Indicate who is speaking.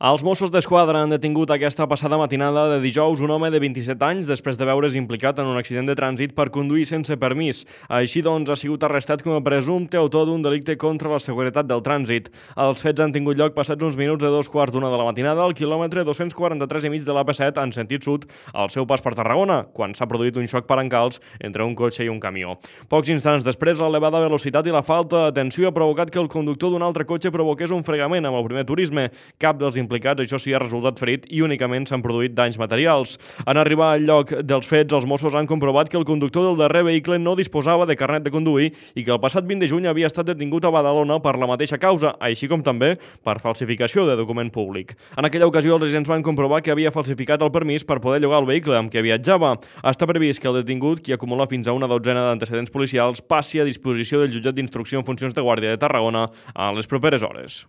Speaker 1: Els Mossos d'Esquadra han detingut aquesta passada matinada de dijous un home de 27 anys després de veure's implicat en un accident de trànsit per conduir sense permís. Així doncs, ha sigut arrestat com a presumpte autor d'un delicte contra la seguretat del trànsit. Els fets han tingut lloc passats uns minuts de 2:15 de la matinada al quilòmetre 243 i mig de l'AP7 en sentit sud, al seu pas per Tarragona, quan s'ha produït un xoc per encalç entre un cotxe i un camió. Pocs instants després, l'elevada velocitat i la falta d'atenció ha provocat que el conductor d'un altre cotxe provoqués un fregament amb el primer turisme. Cap dels implicats, això sí, ha resultat ferit i únicament s'han produït danys materials. En arribar al lloc dels fets, els Mossos han comprovat que el conductor del darrer vehicle no disposava de carnet de conduir i que el passat 20 de juny havia estat detingut a Badalona per la mateixa causa, així com també per falsificació de document públic. En aquella ocasió, els agents van comprovar que havia falsificat el permís per poder llogar el vehicle amb què viatjava. Està previst que el detingut, qui acumula fins a una dotzena d'antecedents policials, passi a disposició del jutjat d'instrucció en funcions de guàrdia de Tarragona en les properes hores.